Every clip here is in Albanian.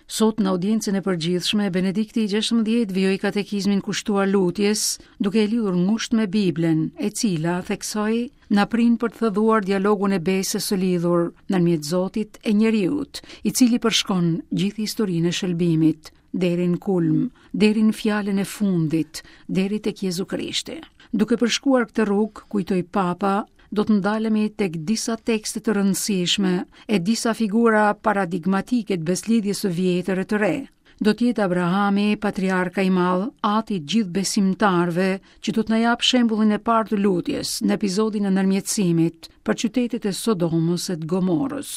Sot në audiencën e përgjithshme, Benedikti i XVI vijoi katekizmin kushtuar lutjes, duke e lidhur ngushtë me Biblën, e cila, theksoi, na prin për të thelluar dialogun e besës së lidhur ndërmjet Zotit e njeriut, i cili përshkon gjithë historinë e shëlbimit, deri në kulm, deri në fjalën e fundit, deri tek Jezu Krishti. Duke përshkuar këtë rrugë, kujtoi Papa, do të ndalemi tek disa tekste të rëndësishme e disa figura paradigmatike të besëlidhjes së vjetër e të re. Do të jetë Abrahami, patriarka i madh, ati i gjithë besimtarëve, që do të na japë shembullin e parë të lutjes në episodin e ndërmjetësimit për qytetet e Sodomës e të Gomorës.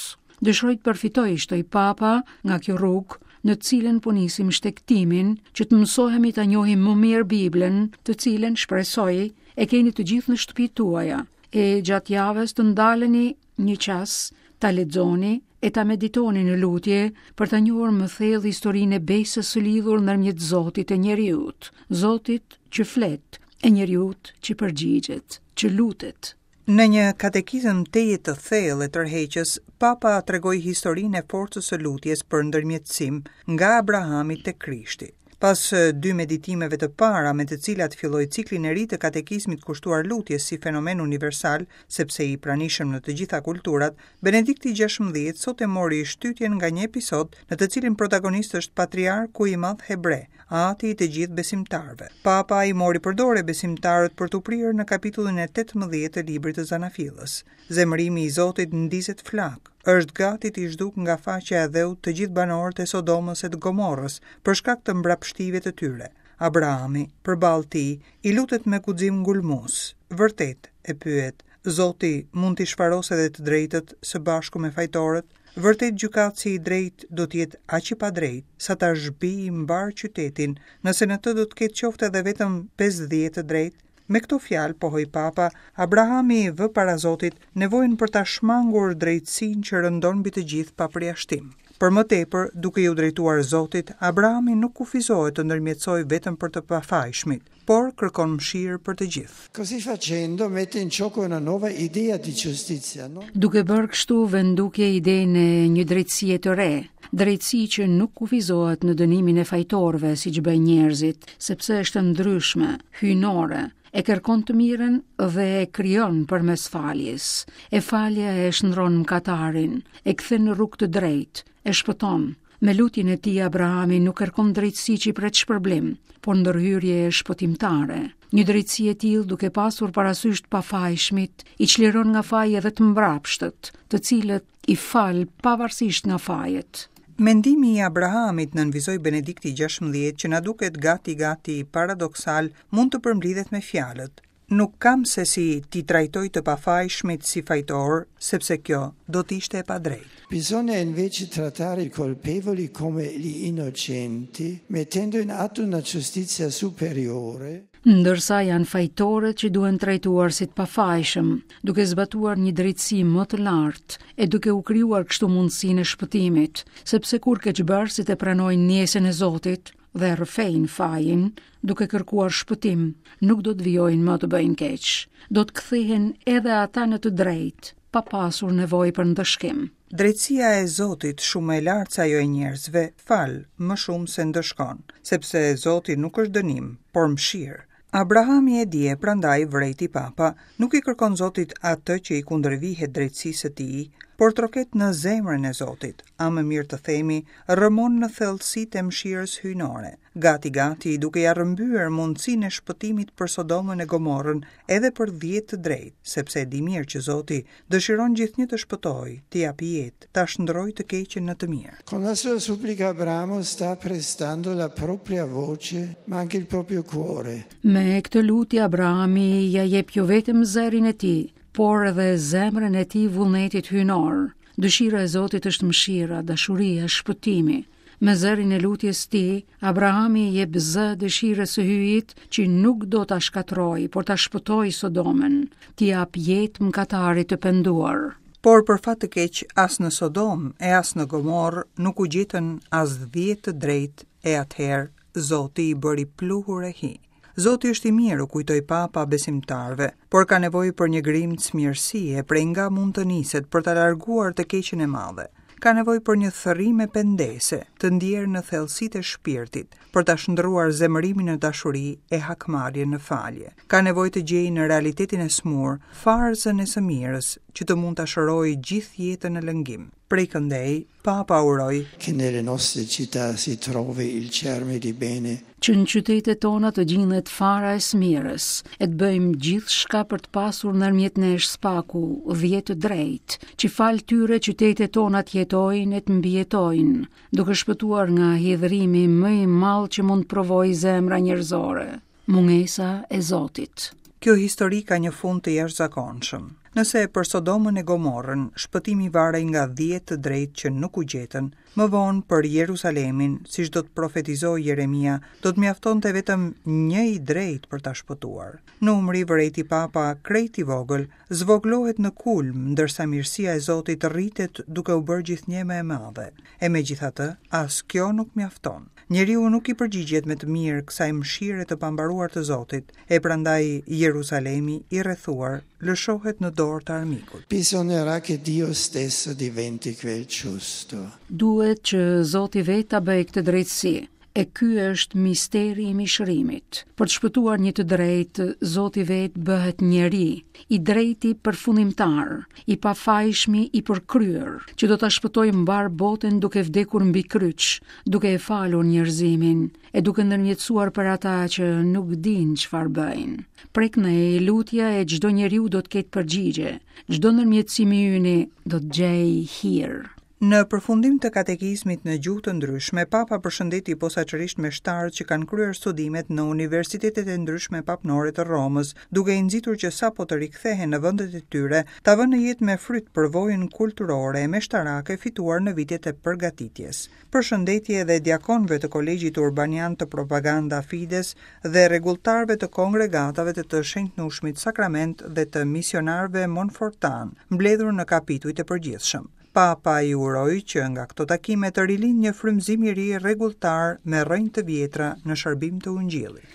Dëshiroj të përfitoj, shtoi Papa, nga kjo rrugë, në të cilën po nisim shtegtimin, që të mësohemi ta njohim më mirë Biblën, të cilën shpresoj e keni të gjithë në shtëpitë tuaja, e gjatë javës të ndaleni një çast, ta lexoni e ta meditoni në lutje për ta njohur më thellë historinë e besës së lidhur ndërmjet Zotit e njeriut, Zotit që flet e njeriut që përgjigjet, që lutet. Në një katekizëm tejet të thellë e tërheqës, Papa tregoi historinë e forcës së lutjes për ndërmjetësim nga Abrahami tek Krishti. Pas dy meditimeve të para me të cilat filloi ciklin e ri të katekizmit kushtuar lutjes si fenomen universal, sepse i pranishëm në të gjitha kulturat, Benedikti XVI sot e mori shtytjen nga një episod në të cilin protagonist është patriarku i madh hebre, ati i të gjithë besimtarëve. Papa i mori për dore besimtarët për t'u prirë në kapitullin e 18 të librit të Zanafillës. Zemërimi i Zotit ndizet flakë, është gati t'i zhdukë nga faqja e dheut të gjithë banorët e Sodomës e të Gomorrës për shkak të mbrapshtive të tyre. Abrahami, përballë tij, i lutet me guxim ngulmues. Vërtet, e pyet, Zoti mund t'i shfarosë edhe të drejtët së bashku me fajtorët? Vërtet gjykatësi i drejtë do të jetë aq i padrejtë, sa ta zhbijë mbarë qytetin, nëse në të do të ketë qoftë edhe vetëm 50 të drejtë? Me këto fjalë, pohoi Papa, Abrahami vë para Zotit nevojën për ta shmangur drejtësinë që rëndon mbi të gjithë pa përjashtim. Për më tepër, duke iu drejtuar Zotit, Abrahami nuk kufizohet të ndërmjetësojë vetëm për të pafajshmit, por kërkon mëshirë për të gjithë. Così facendo mette in gioco una nuova idea di giustizia, no? Duke bërë kështu vë në dukje idenë e një drejtësie të re, drejtësi që nuk kufizohet në dënimin e fajtorëve siç bëjnë njerëzit, sepse është e ndryshme, hyjnore, e kërkon të mirën dhe e krijon përmes faljes. E falja e shndërron mëkatarin, e kthen në rrugë të drejtë, e shpëton. Me lutjen e tij Abrahami nuk kërkon drejtësi që i pret shpërblim, por ndërhyrje shpëtimtare. Një drejtësi e tillë duke pasur parasysh të pafajshmit, i çliron nga faji edhe të mbrapshtët, të cilët i fal pavarësisht nga fajet. Mendimi i Abrahamit, nënvizoi Benedikti XVI, që na duket gati gati paradoksal, mund të përmblidhet me fjalët, Nuk kam se si t'i trajtoj të pafajshmit si fajtorë, sepse kjo do të ishte e padrejtë. Bisogna invece trattare i colpevoli come gli innocenti, mettendo in atto una giustizia superiore. Ndërsa janë fajtorët që duhen trajtuar si të pafajshëm, duke zbatuar një drejtësi më të lartë e duke u krijuar kështu mundësinë e shpëtimit, sepse kur keqbërësit e pranojnë ndjesën e Zotit dhe rrëfejnë fajin, duke kërkuar shpëtim, nuk do të vijojnë më të bëjnë keq. Do të kthehen edhe ata në të drejtë, pa pasur nevojë për ndëshkim. Drejtësia e Zotit, shumë më e lartë se ajo e njerëzve, fal më shumë se ndëshkon, sepse Zoti nuk është dënim, por mëshirë. Abrahami e di e prandaj vërejti Papa, nuk i kërkon Zotit atë që i kundërvihet drejtësisë së tij, por troket në zemrën e Zotit, a më mirë të themi, rrëmon në thellësitë e mëshirës hyjnore, gati gati duke ia rrëmbyer mundësinë e shpëtimit për Sodomën e Gomorrën edhe për dhjetë të drejtë, sepse e di mirë që Zoti dëshiron gjithnjë të shpëtojë, të japë jetë, ta shndërrojë të keqen në të mirë. Con la sua supplica Abramo sta prestando la propria voce, ma anche il proprio cuore. Me këtë lutje Abrahami ia jep jo vetëm zërin e tij, por edhe zemrën e tij vullnetit hyjnor. Dëshira e Zotit është mëshira, dashuria, shpëtimi. Me zërin e lutjes tij, Abrahami i jep zë dëshirës së Hyjit që nuk do ta shkatërrojë, por ta shpëtojë Sodomën, t'i japë jetë mëkatarit të penduar. Por për fat të keq as në Sodomë e as në Gomorrë nuk u gjetën as dhjetë të drejtë e atëherë Zoti i bëri pluhur e hi. Zoti është i mirë, u kujtoi Papa besimtarëve, por ka nevojë për një grimcë mirësie prej nga mund të niset për ta larguar të keqen e madhe. Ka nevojë për një thërrime pendese, të ndjerë në thellësitë e shpirtit, për ta shndërruar zemërimin në dashuri e hakmarrjen në falje. Ka nevojë të gjejë në realitetin e sëmurë farzën e së mirës, që të mund ta shërojë gjithë jetën në lëngim. Prej këndej, Papa uroi. Che nelle nostre città si trovi il germe di bene. Që në qytetet tona të gjindet fara e së mirës, e të bëjmë gjithçka për të pasur ndërmjet nesh së paku 10 të drejtë, që falë tyre qytetet tona të jetojnë e të mbijetojnë, duke shpëtuar nga hidhërimi më i madh që mund të provojë zemra njerëzore, mungesa e Zotit. Kjo histori ka një fund të jashtëzakonshëm. Nëse për Sodomën e Gomorrën shpëtimi varej nga 10 të drejtë që nuk u gjetën, më vonë për Jeruzalemin, siç do të profetizojë Jeremia, do të mjaftonte vetëm një i drejtë për ta shpëtuar. Numri, vërejti Papa, krejt i vogël, zvogëlohet në kulm, ndërsa mirësia e Zotit rritet duke u bërë gjithnjë më e madhe. E megjithatë, as kjo nuk mjafton. Njeriu nuk i përgjigjet me të mirë kësaj mëshire të pambaruar të Zotit, e prandaj Jeruzalemi i rrethuar lëshohet në dorë të armikut. Bisognerà che Dio stesso diventi quel giusto. Duhet që Zoti vetë ta bëjë këtë drejtësi. E ky është misteri i mishërimit. Për të shpëtuar një të drejtë, Zoti vetë bëhet njeri, i drejti përfundimtar, i pafajshmi i përkryer, që do ta shpëtojë mbarë botën duke vdekur mbi kryq, duke e falur njerëzimin e duke ndërmjetësuar për ata që nuk dinë çfarë bëjnë. Prej këndej, lutja e çdo njeriu do të ketë përgjigje, çdo ndërmjetësim i yni do të gjejë hir. Në përfundim të katekizmit në gjuhë të ndryshme, Papa përshëndeti posaçërisht meshtarët që kanë kryer studimet në universitetet e ndryshme papnore të Romës, duke i nxitur që sapo të rikthehen në vendet e tyre, ta vënë në jetë me fryt përvojën kulturore e meshtarake fituar në vitet e përgatitjes. Përshëndetje edhe diakonëve të Kolegjit Urbanian të Propaganda Fides dhe rregulltarëve të kongregatave të të Shenjtnushmit Sakrament dhe të misionarëve Monfortanë, mbledhur në kapitujt e përgjithshëm. Papa i uroi që nga këto takime të rilindë një frymëzim i ri rregulltar me rrënjë të vjetra në shërbim të Ungjillit.